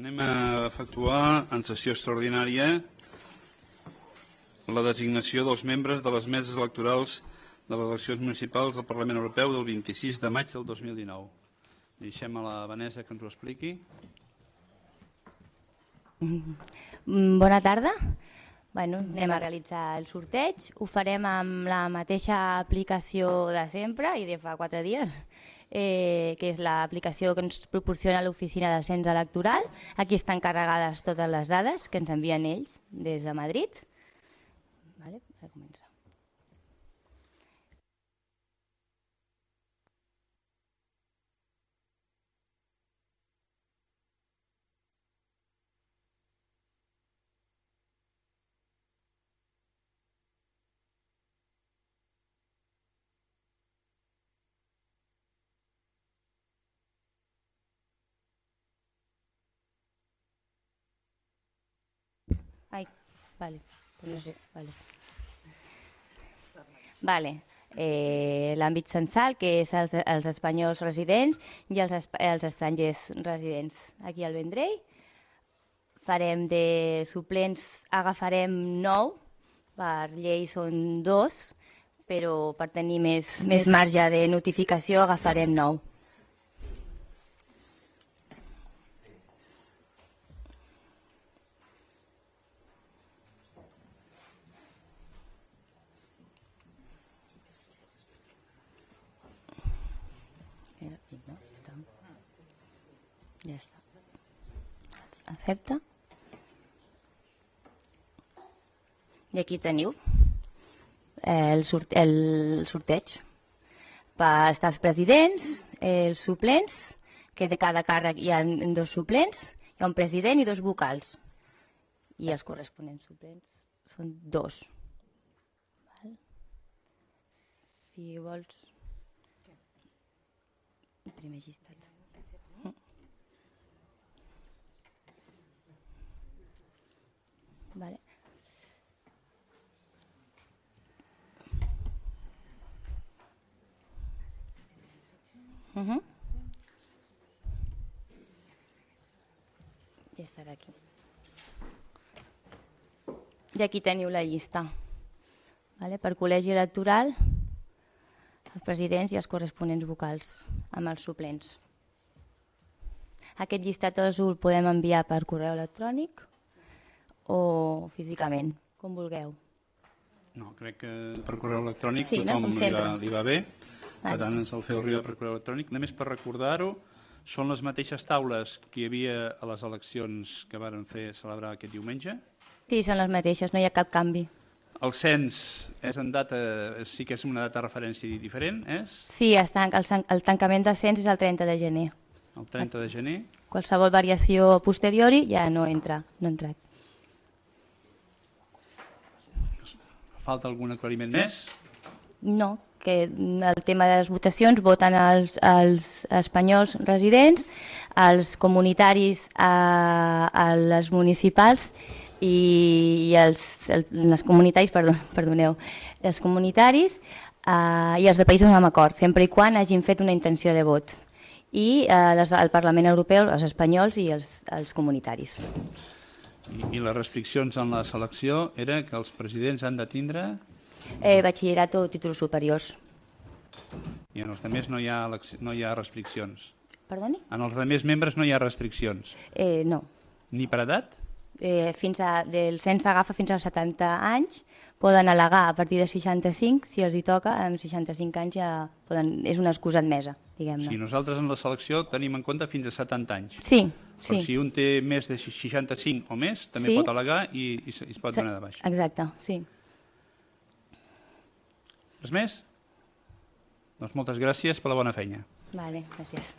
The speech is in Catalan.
Anem a efectuar en sessió extraordinària la designació dels membres de les meses electorals de les eleccions municipals del Parlament Europeu del 26 de maig del 2019. Deixem a la Vanessa que ens ho expliqui. Bona tarda. Anem a realitzar el sorteig. Ho farem amb la mateixa aplicació de sempre i de fa 4 dies, que és l'aplicació que ens proporciona l'Oficina del Cens Electoral. Aquí estan carregades totes les dades que ens envien ells des de Madrid. Vale, a començar. Ai, vale, no sé, vale. Vale. L'àmbit censal, que és els espanyols residents i els estrangers residents aquí al Vendrell. Farem de suplents, agafarem 9, per llei són 2, però per tenir més marge de notificació agafarem 9. Ja està. Accepta. I aquí teniu el sorteig. Estar els presidents, els suplents, que de cada càrrec hi ha 2 suplents, hi ha un president i 2 vocals. I els corresponents suplents són 2. Si vols... Primer llistat. Vale. Ja estarà aquí. I aquí teniu la llista. Vale? Per col·legi electoral, els presidents i els corresponents vocals amb els suplents. Aquest llistat us el podem enviar per correu electrònic o físicament, com vulgueu. No, crec que per correu electrònic sí, tothom no? li va bé. Per tant, ens el feu arribar per correu electrònic. Només per recordar-ho, són les mateixes taules que hi havia a les eleccions que varen celebrar aquest diumenge? Sí, són les mateixes, no hi ha cap canvi. El cens és en data, sí que és una data de referència diferent, és? Sí, el tancament del cens és el 30 de gener. El 30 de gener. Qualsevol variació posteriori ja no entra. Falta algun aclariment més? No, que el tema de les votacions voten els espanyols residents, els comunitaris a les municipals i els comunitaris, perdoneu, els comunitaris i els de països amb acord, sempre i quan hagin fet una intenció de vot. I el Parlament Europeu, els espanyols i els comunitaris. I les restriccions en la selecció era que els presidents han de tindre... Batxillerat o títols superiors. I en els altres no hi ha restriccions? Perdoni? En els altres membres no hi ha restriccions? No. Ni per edat? Del cens s'agafa fins als 70 anys, poden al·legar a partir de 65, si els hi toca, amb 65 anys ja és una excusa admesa, diguem-ne. Sí, nosaltres en la selecció tenim en compte fins a 70 anys. Sí. Però si un té més de 65 o més, també pot al·legar i es pot donar de baix. Exacte, sí. Res més? Doncs moltes gràcies per la bona feina. Vale, gràcies.